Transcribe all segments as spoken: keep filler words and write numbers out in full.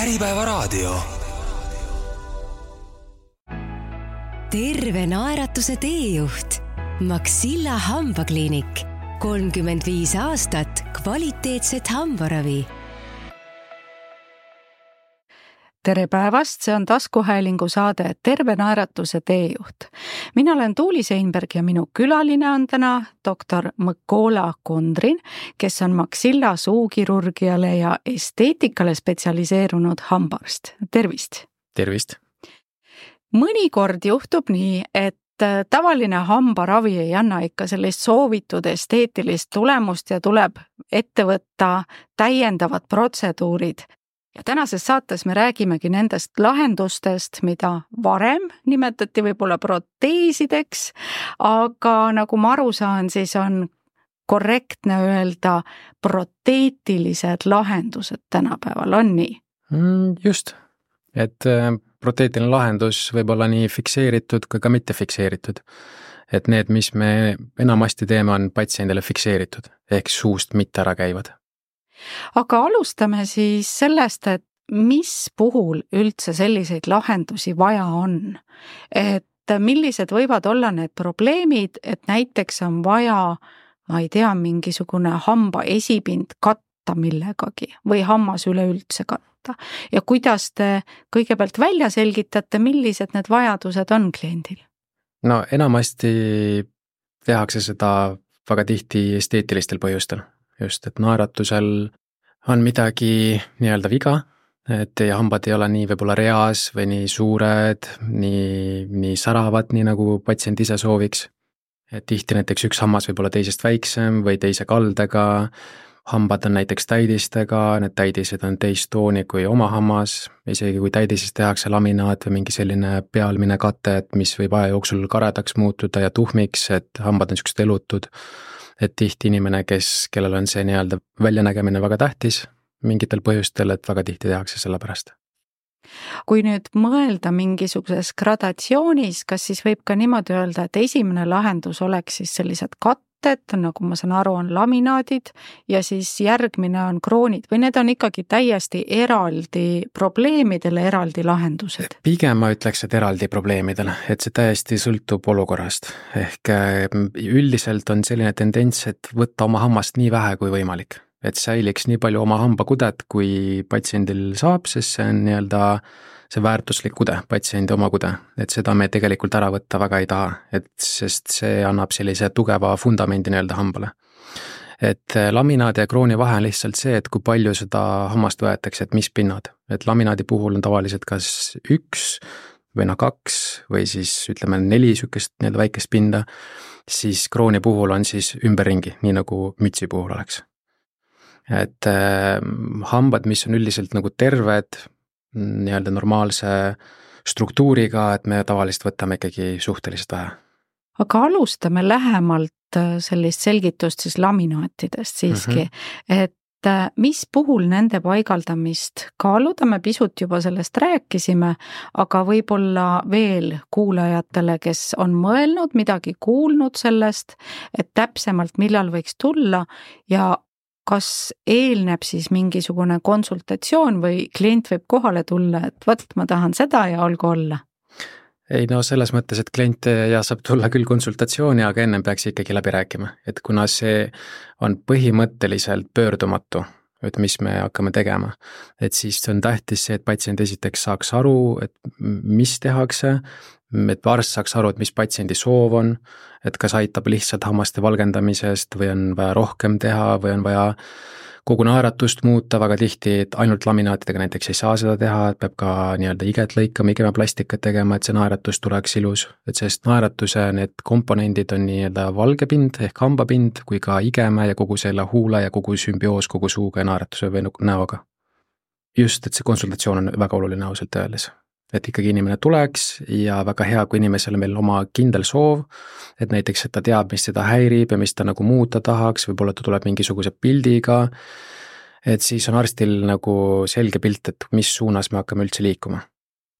Äripäevaraadio. Terve naeratuse teejuht. Maxilla hambakliinik. kolmkümmend viis aastat kvaliteetset hambaravi. Tere päevast, see on taskuhäälingu saade Terve naeratuse teejuht. Mina olen Tuuli Seinberg ja minu külaline on täna doktor Mõkola Kondrin, kes on Maxilla suukirurgiale ja esteetikale spetsialiseerunud hambaarst. Tervist! Tervist! Mõnikord juhtub nii, et tavaline hambaravi ei anna ikka sellist soovitud esteetilist tulemust ja tuleb ette võtta täiendavad protseduurid. Ja tänases saates me räägimegi nendest lahendustest, mida varem nimetati võib-olla proteesideks, aga nagu ma aru saan, siis on korrektne öelda proteetilised lahendused tänapäeval, on nii? Just, et proteetiline lahendus võib olla nii fikseeritud kui ka mitte fikseeritud. Et need, mis me enamasti teeme, on patsiendile fikseeritud, ehk suust mitte ära käivad. Aga alustame siis sellest, et mis puhul üldse selliseid lahendusi vaja on. Et millised võivad olla need probleemid, et näiteks on vaja, ma ei tea, mingisugune hamba esipind katta millegagi või hammas üleüldse katta. Ja kuidas te kõigepealt välja selgitate, millised need vajadused on kliendil? No enamasti tehakse seda väga tihti esteetilistel põhjustel. Just, et naeratusel on midagi nii-öelda viga, et teie hambad ei ole nii võib-olla reas või nii suured, nii, nii säravad, nii nagu patsient ise sooviks. Et tihti näiteks üks hammas võib olla teisest väiksem või teise kaldega, hambad on näiteks täidistega, need täidised on teist tooni kui oma hammas, isegi kui täidisest tehakse laminaat või mingi selline pealmine kate, et mis võib aja jooksul karedaks muutuda ja tuhmiks, et hambad on sellised elutud. Et tihti inimene, kes, kellel on see nii-öelda väljanägemine väga tähtis mingitel põhjustel, et väga tihti tehakse selle pärast. Kui nüüd mõelda mingisuguses gradatsioonis, kas siis võib ka niimoodi öelda, et esimene lahendus oleks siis sellised katted, nagu ma saan aru, on laminaadid ja siis järgmine on kroonid või need on ikkagi täiesti eraldi probleemidele eraldi lahendused? Pigem ma ütleks, et eraldi probleemidele, et see täiesti sõltub olukorrast. Ehk üldiselt on selline tendents, et võtta oma hammast nii vähe kui võimalik. Et säiliks nii palju oma hambakudet, kui patsiendil saab, sest see on nii-öelda see väärtuslik kude, patsiendi oma kude, et seda me tegelikult ära võtta väga ei taha, et sest see annab sellise tugeva fundamendi nii-öelda hambale. Et laminaadi ja krooni vahe on lihtsalt see, et kui palju seda hammast võetakse, et mis pinnad. Et laminaadi puhul on tavaliselt kas üks või no kaks või siis ütleme neli sükest nii-öelda väikest pinda, siis krooni puhul on siis ümberringi, nii nagu mütsi puhul oleks. Et äh, hambad, mis on üldiselt nagu terved, nii-öelda normaalse struktuuriga, et me tavaliselt võtame ikkagi suhteliselt vähe. Aga alustame lähemalt sellist selgitust siis laminaatidest siiski, mm-hmm. et mis puhul nende paigaldamist kaaluda, me pisut juba sellest rääkisime, aga võib-olla veel kuulajatele, kes on mõelnud, midagi kuulnud sellest, et täpsemalt millal võiks tulla ja kas eelneb siis mingisugune konsultatsioon või klient võib kohale tulla, et võt, ma tahan seda ja olgu olla? Ei no selles mõttes, et klient ja saab tulla küll konsultatsiooni, aga ennem peaks ikkagi läbi rääkima, et kuna see on põhimõtteliselt pöördumatu, et mis me hakkame tegema, et siis on tähtis see, et patsient esiteks saaks aru, et mis tehakse, et arst saaks aru, et mis patsiendi soov on, et kas aitab lihtsalt hammaste valgendamisest või on vaja rohkem teha või on vaja kogu naeratust muuta, väga tihti, et ainult laminaatidega näiteks ei saa seda teha, et peab ka nii-öelda iget lõikama, igemeplastikat tegema, et see naeratus tuleks ilus, et sest naeratuse need komponendid on nii-öelda valgepind ehk hambapind kui ka igeme ja kogu selle huule ja kogu sümbioos kogu suuga ja naeratuse või näoga. Just, et see konsultatsioon on väga oluline ausalt öeldes. Et ikkagi inimene tuleks ja väga hea, kui inimesel meil oma kindel soov, et näiteks, et ta teab, mis seda häirib ja mis ta nagu muuta tahaks, võib-olla ta tuleb mingisuguse pildiga, et siis on arstil nagu selge pilt, et mis suunas me hakkame üldse liikuma.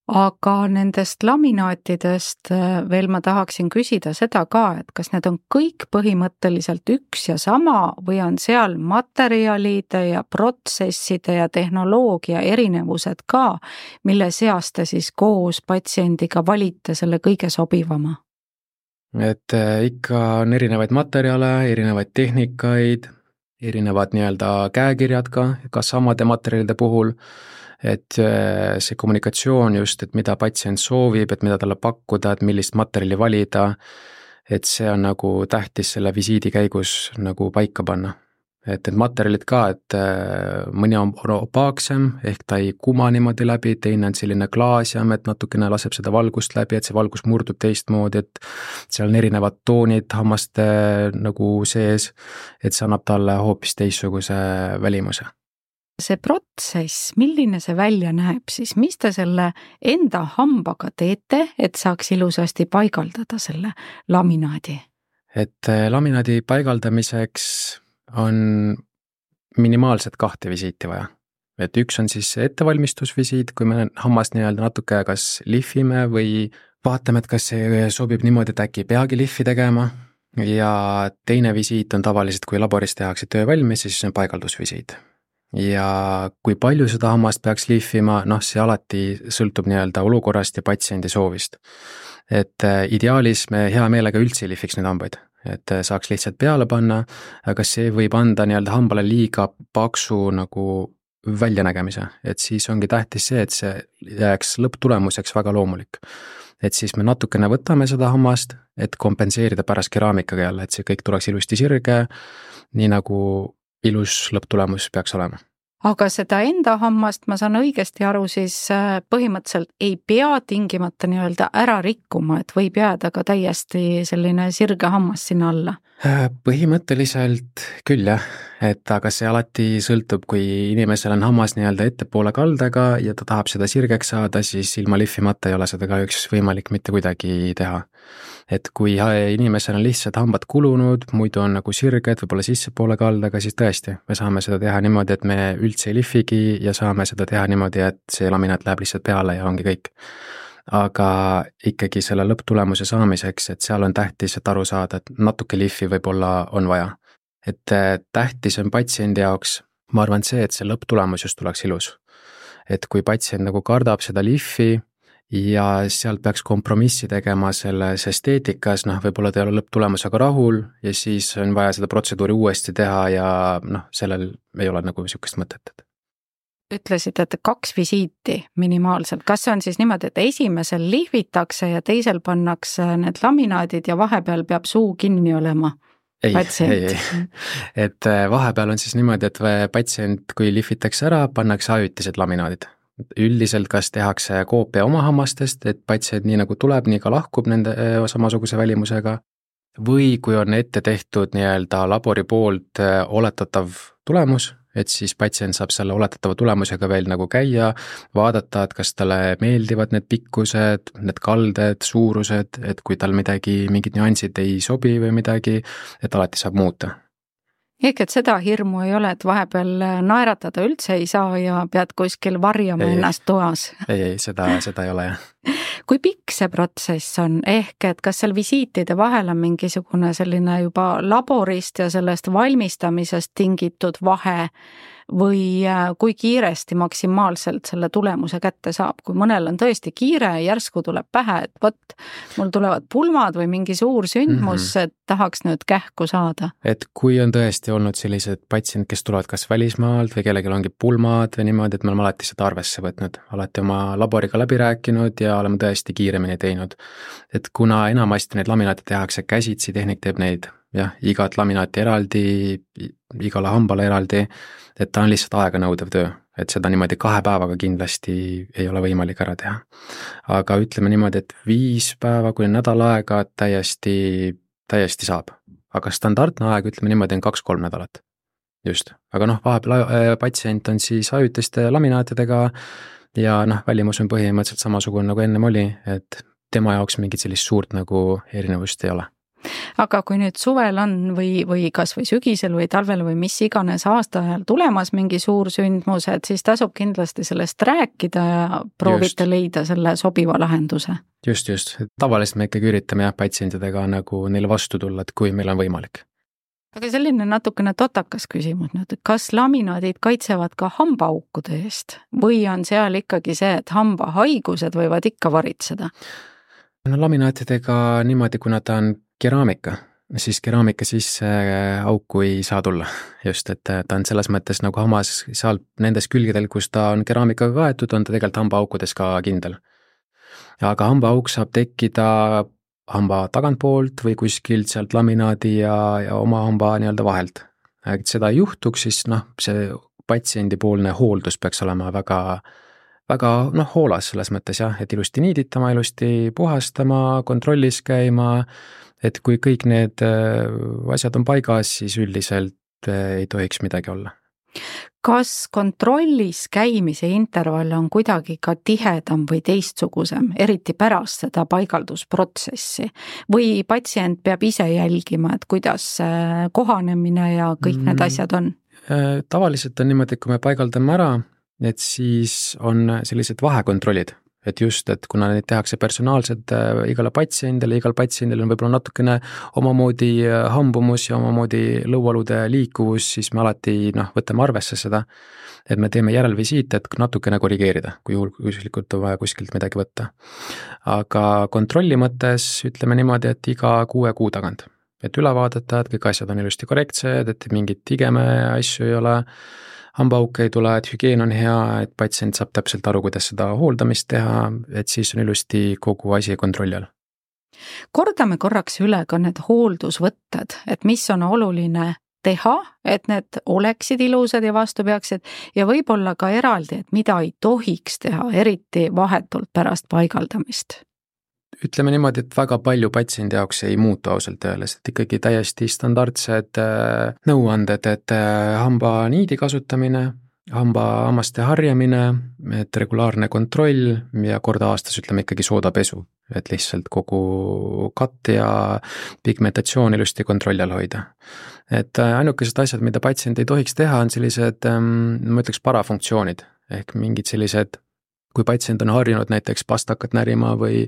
aga nendest laminaatidest veel ma tahaksin küsida seda ka, et kas need on kõik põhimõtteliselt üks ja sama või on seal materjalide ja protsesside ja tehnoloogia erinevused ka, mille seas te siis koos patsiendiga valite selle kõige sobivama? Et ikka on erinevaid materjale, erinevaid tehnikaid, erinevad nii-öelda käekirjad ka, ka samade materjalide puhul, et see kommunikatsioon just, et mida patsient soovib, et mida talle pakkuda, et millist materjali valida, et see on nagu tähtis selle visiidi käigus nagu paika panna. Et need materjalid ka, et mõni on opaaksem, ehk ta ei kuma niimoodi läbi, teine on selline klaasjam, et natukene laseb seda valgust läbi, et see valgus murdub teistmoodi, et seal on erinevad toonid hammaste nagu sees, et see annab talle hoopis teistsuguse välimuse. See protsess, milline see välja näeb siis, mis te selle enda hambaga teete, et saaks ilusasti paigaldada selle laminaadi? Et laminaadi paigaldamiseks on minimaalselt kahte visiiti vaja. Et üks on siis ettevalmistusvisiit, kui me hammast nii-öelda natuke kas lihvime või vaatame, et kas see sobib niimoodi, et äkki peagi lihvi tegema. Ja teine visiit on tavaliselt, kui laboris tehakse töö valmis, siis on paigaldusvisiit. Ja kui palju seda hammast peaks lihvima, noh see alati sõltub nii-öelda olukorrast ja patsiendi soovist. Et ideaalis me hea meelega üldse ei lihviks neid hambaid, et saaks lihtsalt peale panna, aga see võib anda nii-öelda hambale liiga paksu nagu väljanägemise, et siis ongi tähtis see, et see jääks lõpptulemuseks väga loomulik. Et siis me natukene võtame seda hammast, et kompenseerida pärast keraamikaga jälle, et see kõik tuleks ilusti sirge, nii nagu ilus lõpptulemus peaks olema. Aga seda enda hammast, ma saan õigesti aru, siis põhimõtteliselt ei pea tingimata nii-öelda ära rikkuma, et võib jääda ka täiesti selline sirge hammas sinna alla? Põhimõtteliselt küll jah, et aga see alati sõltub, kui inimesel on hammas nii-öelda ettepoole kaldega ja ta tahab seda sirgeks saada, siis ilma lihvimata ei ole seda ka üks võimalik mitte kuidagi teha. Et kui inimesel on lihtsalt hambad kulunud, muidu on nagu sirged, võib-olla sissepoole kaldaga, siis tõesti, me saame seda teha niimoodi, et me üldse ei lihvigi ja saame seda teha niimoodi, et see laminaat läheb lihtsalt peale ja ongi kõik. Aga ikkagi selle lõpptulemuse saamiseks, et seal on tähtis, et aru saada, et natuke lihvi võib-olla on vaja. Et tähtis on patsiendi jaoks, ma arvan see, et see lõpptulemus just tuleks ilus. Et kui patsient nagu kardab seda lihvi, ja sealt peaks kompromissi tegema selles esteetikas, noh, võib-olla ta ei ole lõpptulemusega rahul ja siis on vaja seda protseduuri uuesti teha ja noh, sellel ei ole nagu niisugust mõtet. Ütlesid, et kaks visiiti minimaalselt. Kas see on siis niimoodi, et esimesel lihvitakse ja teisel pannakse need laminaadid ja vahepeal peab suu kinni olema? Ei, ei, ei. Et vahepeal on siis niimoodi, et patsient, kui lihvitakse ära, pannakse ajutised laminaadid. Üldiselt kas tehakse koopia oma hammastest, et patsient nii nagu tuleb, nii ka lahkub nende samasuguse välimusega, või kui on ette tehtud nii-öelda labori poolt oletatav tulemus, et siis patsient saab selle oletatava tulemusega veel nagu käia, vaadata, et kas talle meeldivad need pikkused, need kalded, suurused, et kui tal midagi, mingid nüansid ei sobi või midagi, et alati saab muuta. Ehk et seda hirmu ei ole, et vahepeal naeratada üldse ei saa ja pead kuskil varjama ei, ennast toas. Ei, ei, seda, seda ei ole jah. Kui pikk see protsess on, ehk et kas seal visiitide vahel on mingisugune selline juba laborist ja sellest valmistamisest tingitud vahe või kui kiiresti maksimaalselt selle tulemuse kätte saab, kui mõnel on tõesti kiire, järsku tuleb pähe, et võt, mul tulevad pulmad või mingi suur sündmus, mm-hmm. et tahaks nüüd kähku saada. Et kui on tõesti olnud sellised patsient, kes tulevad kas välismaalt või kellelgi ongi pulmad või niimoodi, et me oleme alati seda arvesse võtnud, alati oma laboriga läbi rääkinud ja oleme tõesti kiiremini teinud. Et kuna enamasti neid laminaate tehakse käsitsi, tehnik teeb neid, jah, igat laminaati eraldi, igale hambale eraldi, et ta on lihtsalt aega nõudev töö, et seda niimoodi kahe päevaga kindlasti ei ole võimalik ära teha. Aga ütleme niimoodi, et viis päeva kuni nädal aega täiesti, täiesti saab. Aga standardne aeg, ütleme niimoodi, on kaks-kolm nädalat. Just. Aga noh, vahepeal patsient on siis ajutiste laminaatidega ja noh, välimus on põhimõtteliselt samasugune nagu ennem oli, et tema jaoks mingit sellist suurt nagu erinevust ei ole. aga kui nüüd suvel on või, või kas või sügisel või talvel või mis iganes aasta ajal tulemas mingi suur sündmus, et siis tasub kindlasti sellest rääkida ja proovite just. leida selle sobiva lahenduse. Just, just. Tavaliselt me ikkagi üritame jah, patsientidega nagu neile vastu tulla, et kui meil on võimalik. Aga selline natukene totakas küsimus nüüd, et kas laminaadid kaitsevad ka hambaaukude eest või on seal ikkagi see, et hambahaigused võivad ikka varitseda? No laminaatidega niimoodi, kuna ta on keraamika, siis keraamika sisse auku ei saa tulla. Just, et ta on selles mõttes nagu hammas seal nendes külgedel, kus ta on keraamikaga kaetud, on ta tegelikult hambaaukudes ka kindel. Aga hambaauk saab tekkida hamba tagantpoolt või kuskilt sealt laminaadi ja, ja oma hamba nii-öelda vahelt. Et seda ei juhtuks, siis noh, see patsiendipoolne hooldus peaks olema väga väga noh, hoolas selles mõttes jah, et ilusti niiditama, ilusti puhastama, kontrollis käima, et kui kõik need asjad on paigas, siis üldiselt ei tohiks midagi olla. Kas kontrollis käimise intervall on kuidagi ka tihedam või teistsugusem, eriti pärast seda paigaldusprotsessi? Või patsient peab ise jälgima, et kuidas kohanemine ja kõik need asjad on? Tavaliselt on niimoodi, et kui me paigaldame ära, et siis on sellised vahekontrollid, et just, et kuna neid tehakse personaalselt igale patsiendile, igal patsiendil on võib-olla natukene omamoodi hambumus ja omamoodi lõualude liikuvus, siis me alati noh, võtame arvesse seda, et me teeme järelvisiite, et natukene korrigeerida, kui juhul kuskilt on vaja kuskilt midagi võtta. Aga kontrolli mõttes ütleme niimoodi, et iga kuue kuu tagant, et üle vaadata, et kõik asjad on ilusti korrektsed, et mingit igeme asju ei ole, hambauke ei tule, et hügieen on hea, et patsient saab täpselt aru, kuidas seda hooldamist teha, et siis on ilusti kogu asi kontrolli all. Kordame korraks üle ka need hooldusvõtted, et mis on oluline teha, et need oleksid ilusad ja vastu peaksid ja võib-olla ka eraldi, et mida ei tohiks teha, eriti vahetult pärast paigaldamist. Ütleme niimoodi, et väga palju patsiendi jaoks ei muutu ausalt öeldes, et ikkagi täiesti standardsed nõuanded, et hamba niidi kasutamine, hamba hammaste harjamine, et regulaarne kontroll ja kord aastas ütleme ikkagi soodapesu, et lihtsalt kogu katt ja pigmentatsioon ilusti kontrolli all hoida. Et ainukesed asjad, mida patsient ei tohiks teha, on sellised, ma ütleks, parafunktsioonid ehk mingid sellised kui patsient on harjunud näiteks pastakat närima või,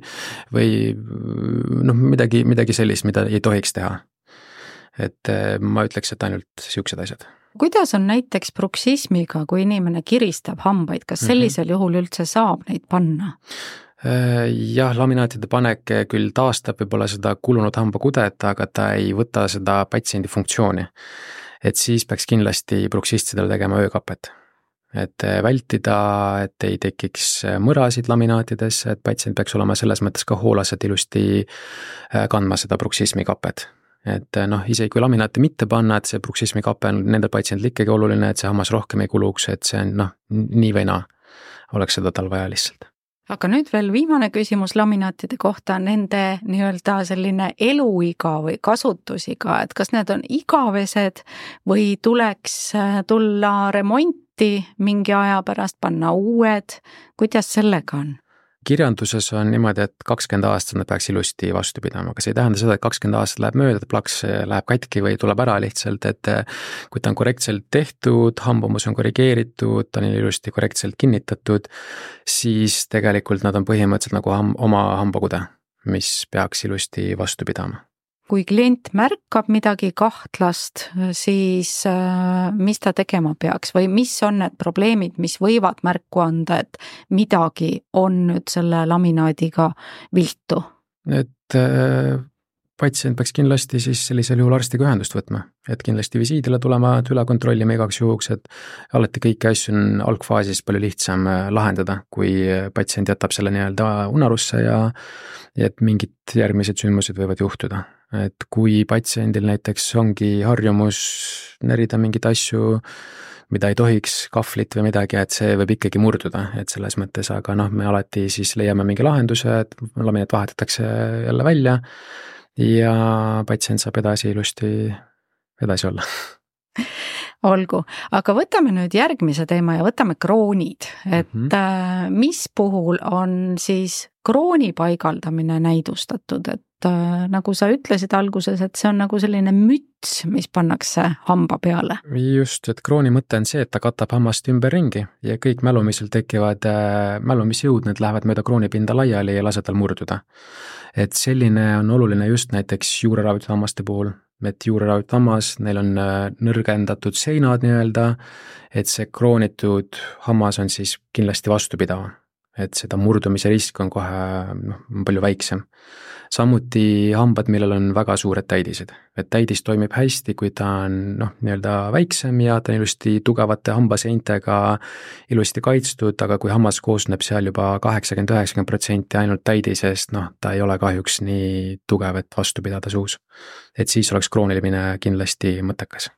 või noh, midagi, midagi sellist, mida ei tohiks teha. Et ma ütleks, et ainult siuksed asjad. Kuidas on näiteks bruksismiga, kui inimene kiristab hambaid, kas sellisel mm-hmm. juhul üldse saab neid panna? Jah, laminaatide panek küll taastab võib-olla seda kulunud hambakudet, aga ta ei võta seda patsiendi funktsiooni. Et siis peaks kindlasti bruksistidel tegema öökapet. Et vältida, et ei tekiks mõrasid laminaatides, et patsient peaks olema selles mõttes ka hoolas, et ilusti kandma seda bruksismi kapet. Et noh, isegi kui laminaati mitte panna, et see bruksismi kape on nendel patsiendil ikkagi oluline, et see hammas rohkem ei kuluks, et see on noh, nii või naa oleks seda tal vaja lihtsalt. Aga nüüd veel viimane küsimus laminaatide kohta, nende nii-öelda selline eluiga või kasutusiga, et kas need on igavesed või tuleks tulla remonti mingi aja pärast panna uued, kuidas sellega on? Kirjanduses on niimoodi, et kakskümmend aastat nad peaks ilusti vastu pidama, aga see ei tähenda seda, et kakskümmend aastat läheb mööda, plaks läheb katki või tuleb ära lihtsalt, et kui ta on korrektselt tehtud, hambumus on korrigeeritud, ta on ilusti korrektselt kinnitatud, siis tegelikult nad on põhimõtteliselt nagu ham- oma hambakude, mis peaks ilusti vastu pidama. Kui klient märkab midagi kahtlast, siis mis ta tegema peaks või mis on need probleemid, mis võivad märku anda, et midagi on nüüd selle laminaadiga viltu? Et äh, patsient peaks kindlasti siis sellisel juhul arstiga ühendust võtma, et kindlasti visiidile tulema, et üle kontrollima igaks juhuks, et alati kõiki asju on algfaasis palju lihtsam lahendada, kui patsient jätab selle nii-öelda unarusse ja et mingid järgmised sündmused võivad juhtuda. Et kui patsiendil näiteks ongi harjumus närida mingeid asju, mida ei tohiks, kahvlit või midagi, et see võib ikkagi murduda, et selles mõttes, aga noh, me alati siis leiame mingi lahenduse, et laminaat vahetatakse jälle välja ja patsient saab edasi ilusti edasi olla. olgu, aga võtame nüüd järgmise teema ja võtame kroonid, et mm-hmm. mis puhul on siis krooni paigaldamine näidustatud, et äh, nagu sa ütlesid alguses, et see on nagu selline müts, mis pannakse hamba peale. Just, et krooni mõte on see, et ta katab hammast ümber ringi ja kõik mälumisel tekivad äh, mälumisjõud, need lähevad mööda kroonipinda laiali ja lase tal murduda. Et selline on oluline just näiteks juureravitud hammaste puhul, et juureravitud hammas, neil on nõrgendatud seinad nii-öelda, et see kroonitud hammas on siis kindlasti vastupidava, et seda murdumise risk on kohe noh, palju väiksem. Samuti hambad, millel on väga suured täidised, et täidis toimib hästi, kui ta on noh, nii-öelda väiksem ja ta on ilusti tugevate hambaseintega ilusti kaitstud, aga kui hammas koosneb seal juba kaheksakümmend üheksakümmend protsenti ainult täidisest, noh, ta ei ole kahjuks nii tugev, et vastu pidada suus. Et siis oleks kroonilimine kindlasti mõttekas.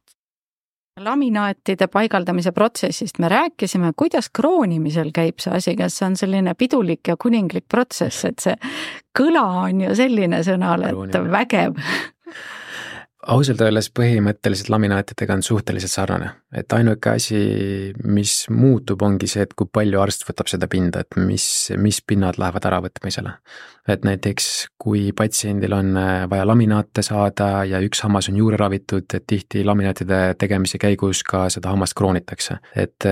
Laminaatide paigaldamise protsessist me rääkisime, kuidas kroonimisel käib see asi, kas see on selline pidulik ja kuninglik protsess, et see kõla on ju selline sõnal, et vägev. Ausalt öeldes põhimõtteliselt laminaatidega on suhteliselt sarnane, et ainuke asi, mis muutub, ongi see, et kui palju arst võtab seda pinda, et mis, mis pinnad lähevad äravõtmisele. Et näiteks kui patsiendil on vaja laminaate saada ja üks hammas on juurde ravitud, et tihti laminaatide tegemise käigus ka seda hammast kroonitakse, et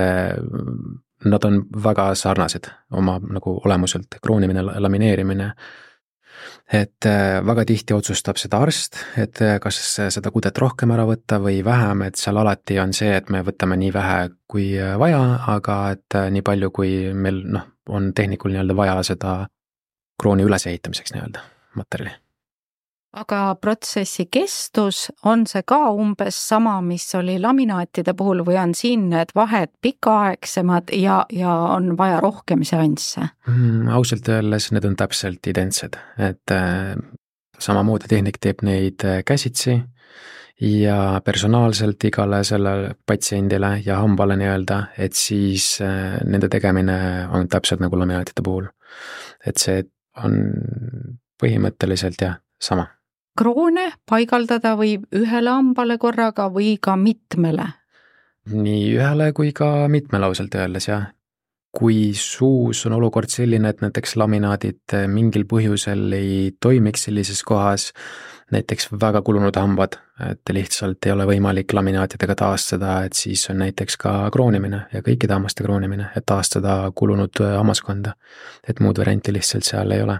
nad on väga sarnased oma nagu olemuselt, kroonimine, lamineerimine. Et väga tihti otsustab seda arst, et kas seda kudet rohkem ära võtta või vähem, et seal alati on see, et me võtame nii vähe kui vaja, aga et nii palju, kui meil noh, on tehnikul nii-öelda vaja seda krooni ülesehitamiseks nii-öelda materjali. Aga protsessi kestus, on see ka umbes sama, mis oli laminaatide puhul või on siin need vahed pikaaegsemad ja, ja on vaja rohkem seansse? Mm, ausalt öeldes need on täpselt identsed, et äh, samamoodi tehnik teeb neid käsitsi ja personaalselt igale sellele patsiendile ja hambale nii-öelda, et siis äh, nende tegemine on täpselt nagu laminaatide puhul. Et see on põhimõtteliselt jah, sama. Kroone paigaldada võib ühele hambale korraga või ka mitmele? Nii ühele kui ka mitmele ausalt öeldes, jah. Kui suus on olukord selline, et näiteks laminaadid mingil põhjusel ei toimiks sellises kohas, näiteks väga kulunud hambad, et lihtsalt ei ole võimalik laminaatidega taastada, et siis on näiteks ka kroonimine ja kõikide hammaste kroonimine, et taastada kulunud hammaskonda, et muud varianti lihtsalt seal ei ole.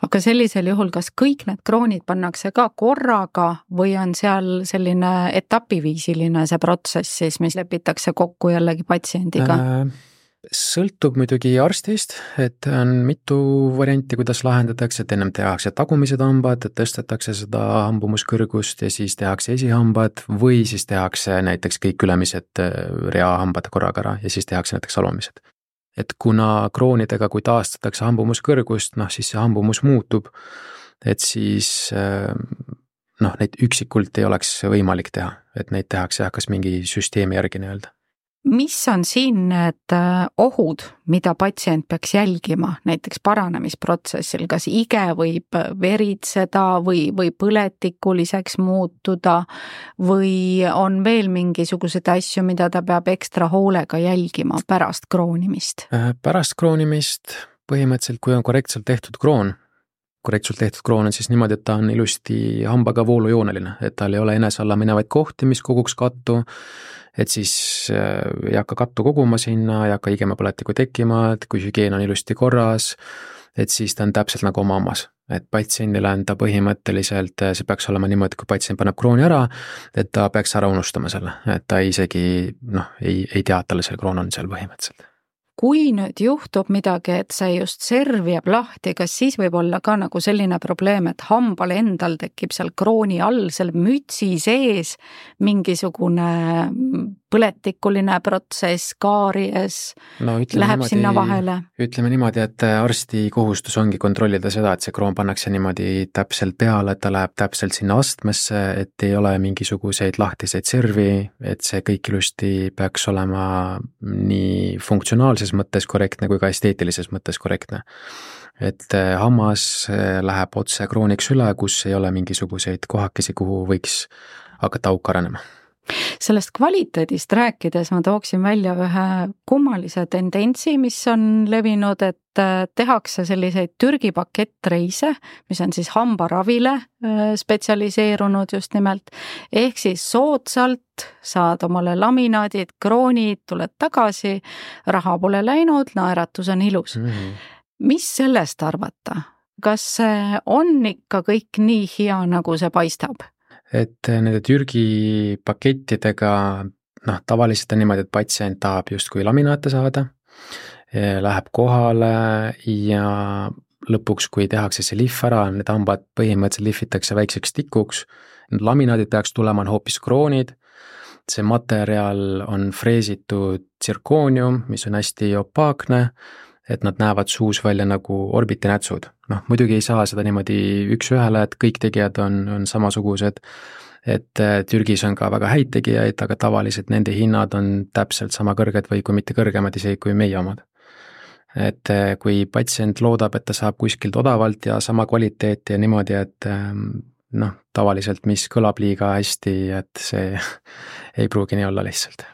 Aga sellisel juhul, kas kõik need kroonid pannakse ka korraga või on seal selline etapiviisiline see protsess siis, mis lepitakse kokku jällegi patsiendiga? Äh, sõltub muidugi arstist, et on mitu varianti, kuidas lahendatakse, et ennem tehakse tagumised hambad, et tõstetakse seda hambumuskõrgust ja siis tehakse esihambad või siis tehakse näiteks kõik ülemised reahambad korraga ära ja siis tehakse näiteks alumised. Et kuna kroonidega, kui taastatakse hambumuskõrgust, noh siis see hambumus muutub, et siis noh, neid üksikult ei oleks võimalik teha, et neid tehakse jah, kas mingi süsteemi järgi nii-öelda. Mis on siin need ohud, mida patsient peaks jälgima näiteks paranemisprotsessil, kas ige võib veritseda või, või põletikuliseks muutuda või on veel mingisuguseid asju, mida ta peab ekstra hoolega jälgima pärast kroonimist? Pärast kroonimist põhimõtteliselt, kui on korrektselt tehtud kroon, korrektselt tehtud kroon on siis niimoodi, et ta on ilusti hambaga voolujooneline, et tal ei ole enese alla minevaid kohti, mis koguks kattu, et siis ei hakka kattu koguma sinna, ei hakka igema põletiku tekkima, et kui hügieen on ilusti korras, et siis ta on täpselt nagu oma hammas. Et patsiendile on ta põhimõtteliselt, see peaks olema niimoodi, kui patsient paneb krooni ära, et ta peaks ära unustama selle, et ta isegi noh, ei, ei tea, et talle see kroon on seal põhimõtteliselt. Kui nüüd juhtub midagi, et see just serv jääb lahti, kas siis võib olla ka nagu selline probleem, et hambal endal tekib seal krooni all, seal mütsi sees mingisugune põletikuline protsess, kaaries no, läheb niimoodi, sinna vahele? Ütleme niimoodi, et arsti kohustus ongi kontrollida seda, et see kroon pannakse niimoodi täpselt peale, et ta läheb täpselt sinna astmesse, et ei ole mingisuguseid lahtiseid servi, et see kõik ilusti peaks olema nii funktsionaalses mõttes korrektne kui ka esteetilises mõttes korrektne. Et hammas läheb otse krooniks üle, kus ei ole mingisuguseid kohakesi, kuhu võiks hakata auk arenema. Sellest kvaliteedist rääkides ma tooksin välja ühe kummalise tendentsi, mis on levinud, et tehakse selliseid Türgi pakettreise, mis on siis hambaravile spetsialiseerunud just nimelt, ehk siis soodsalt saad omale laminaadid, kroonid, tuled tagasi, raha pole läinud, naeratus on ilus. Mm-hmm. Mis sellest arvata? Kas see on ikka kõik nii hea, nagu see paistab? Et nende Türgi pakettidega, noh, tavaliselt on niimoodi, et patsient tahab justkui laminaate saada, läheb kohale ja lõpuks, kui tehakse see lihv ära, need hambad põhimõtteliselt lihvitakse väikseks tikuks, need laminaadid peaks tulema on hoopis kroonid, see materjal on freesitud tsirkoonium, mis on hästi opaakne, et nad näevad suus välja nagu orbitinätsud. Noh, muidugi ei saa seda niimoodi üks ühele, et kõik tegijad on, on samasugused, et Türgis on ka väga häid tegijaid, aga tavaliselt nende hinnad on täpselt sama kõrged või kui mitte kõrgemad isegi kui meie omad. Et kui patsient loodab, et ta saab kuskilt odavalt ja sama kvaliteeti ja niimoodi, et noh, tavaliselt mis kõlab liiga hästi, et see ei pruugi nii olla lihtsalt.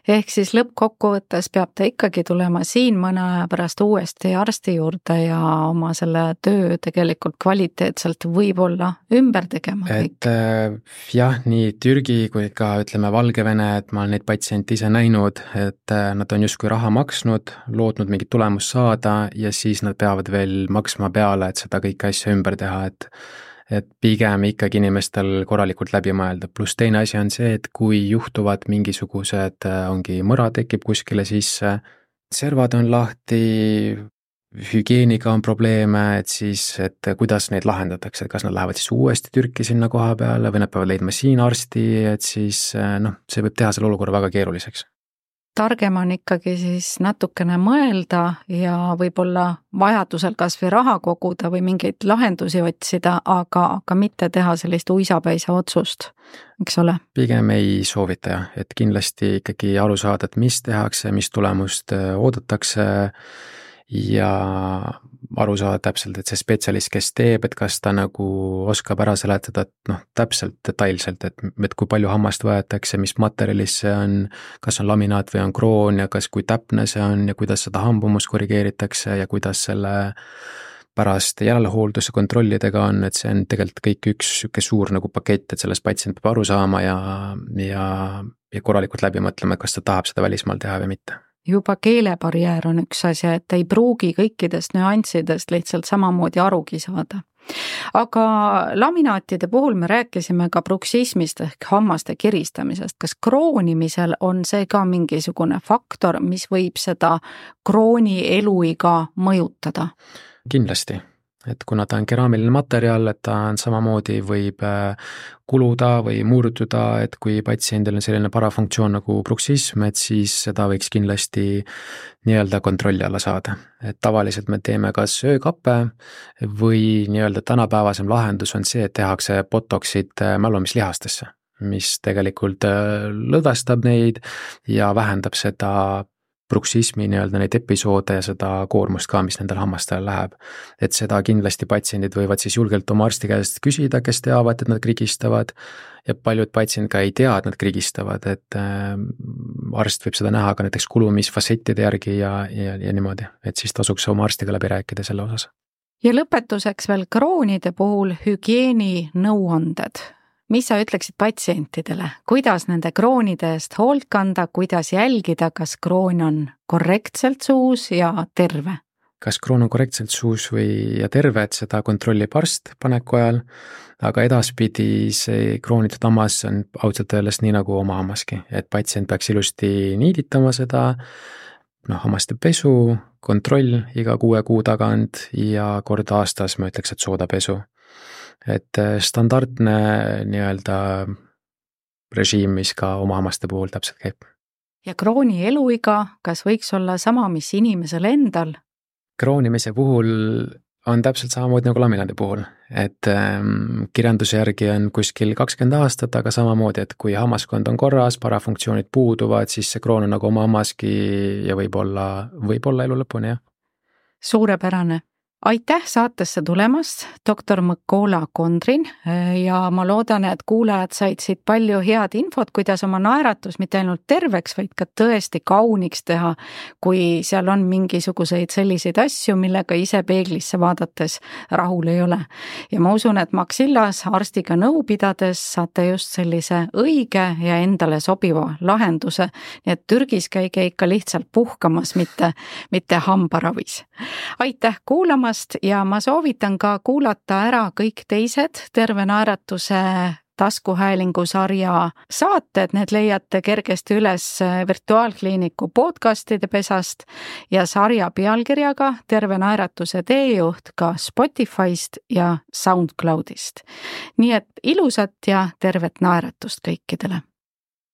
Ehk siis lõppkokkuvõttes peab ta ikkagi tulema siin mõne aja pärast uuesti arsti juurde ja oma selle töö tegelikult kvaliteetselt võib-olla ümber tegema kõik. Et jah, nii Türgi kui ka ütleme Valgevene, et ma olen neid patsiente ise näinud, et nad on justkui raha maksnud, loodnud mingit tulemust saada ja siis nad peavad veel maksma peale, et seda kõike asja ümber teha, et et pigem ikkagi inimestel korralikult läbi mõelda. Pluss teine asi on see, et kui juhtuvad mingisugused, ongi mõra tekib kuskile sisse, servad on lahti, hügieeniga on probleeme, et siis, et kuidas neid lahendatakse, et kas nad lähevad siis uuesti Türki sinna koha peale või nad peavad leidma siin arsti, et siis noh, see võib teha selle olukorra väga keeruliseks. Targem on ikkagi siis natukene mõelda ja võib-olla vajadusel kas või raha koguda või mingeid lahendusi otsida, aga, aga mitte teha sellist uisapäisa otsust, eks ole? Pigem ei soovita, et kindlasti ikkagi aru saada, et mis tehakse, mis tulemust oodatakse ja aru saada täpselt, et see spetsialist, kes teeb, et kas ta nagu oskab ära seletada, et noh, täpselt detailselt, et, et kui palju hammast võetakse, mis materjalis see on, kas on laminaat või on kroon ja kas kui täpne see on ja kuidas seda hambumust korrigeeritakse ja kuidas selle pärast järelhoolduse kontrollidega on, et see on tegelikult kõik üks siuke suur nagu pakett, et sellest patsient peab aru saama ja, ja, ja korralikult läbi mõtlema, kas ta tahab seda välismaal teha või mitte. Juba keelebarjäär on üks asja, et ei pruugi kõikidest nüanssidest lihtsalt samamoodi arugi saada. Aga laminaatide puhul me rääkisime ka bruksismist ehk hammaste kiristamisest. Kas kroonimisel on see ka mingisugune faktor, mis võib seda krooni eluiga mõjutada? Kindlasti. Et kuna ta on keraamiline materjal, et ta on samamoodi võib kuluda või murduda, et kui patsiendil on selline parafunktsioon nagu bruksism, et siis seda võiks kindlasti nii-öelda kontrolli alla saada. Et tavaliselt me teeme kas öökappe või nii-öelda tänapäevasem lahendus on see, et tehakse botoksid mälumislihastesse, mis tegelikult lõdvestab neid ja vähendab seda bruksismi nii-öelda neid episoode ja seda koormust ka, mis nendel hammastele läheb. Et seda kindlasti patsiendid võivad siis julgelt oma arsti käest küsida, kes teavad, et nad krigistavad ja paljud patsiendid ka ei tea, et nad krigistavad, et äh, arst võib seda näha ka näiteks kulumisfassettide järgi ja, ja, ja niimoodi, et siis tasuks oma arstiga läbi rääkida selle osas. Ja lõpetuseks veel kroonide puhul hügieeni nõuanded. Mis sa ütleksid patsientidele, kuidas nende kroonide eest hoolt kanda, kuidas jälgida, kas kroon on korrektselt suus ja terve? Kas kroon on korrektselt suus või ja terve, et seda kontrollib arst paneku ajal, aga edaspidi see kroonitud hammas on ausalt öeldes nii nagu oma hammaski, et patsient peaks ilusti niiditama seda, noh, hammaste pesu, kontroll iga kuue kuu tagant ja kord aastas ma ütleks, et soodapesu. Et standardne nii-öelda režiim, mis ka oma hammaste puhul täpselt käib. Ja krooni eluiga, kas võiks olla sama, mis inimesel endal? Kroonimise puhul on täpselt samamoodi nagu laminaadi puhul, et ähm, kirjanduse järgi on kuskil kakskümmend aastat, aga samamoodi, et kui hammaskond on korras, parafunktsioonid puuduvad, siis see kroon on nagu oma hammaski ja võib-olla, võib-olla elu lõpuni, jah. Suurepärane. aitäh saatesse tulemast, doktor Mõkola Kondrin, ja ma loodan, et kuulajad said siit palju head infot, kuidas oma naeratus mitte ainult terveks, vaid ka tõesti kauniks teha, kui seal on mingisuguseid selliseid asju, millega ise peeglisse vaadates rahul ei ole. Ja ma usun, et Maxillas arstiga nõu pidades saate just sellise õige ja endale sobiva lahenduse, nii et Türgis käige ikka lihtsalt puhkamas, mitte, mitte hambaravis. Aitäh kuulamast ja ma soovitan ka kuulata ära kõik teised Terve naeratuse taskuhäälingu sarja saated, need leiate kergesti üles Virtuaalkliiniku podcastide pesast ja sarja pealkirjaga Terve naeratuse teejuht ka Spotify'st ja SoundCloud'ist. Nii et ilusat ja tervet naeratust kõikidele!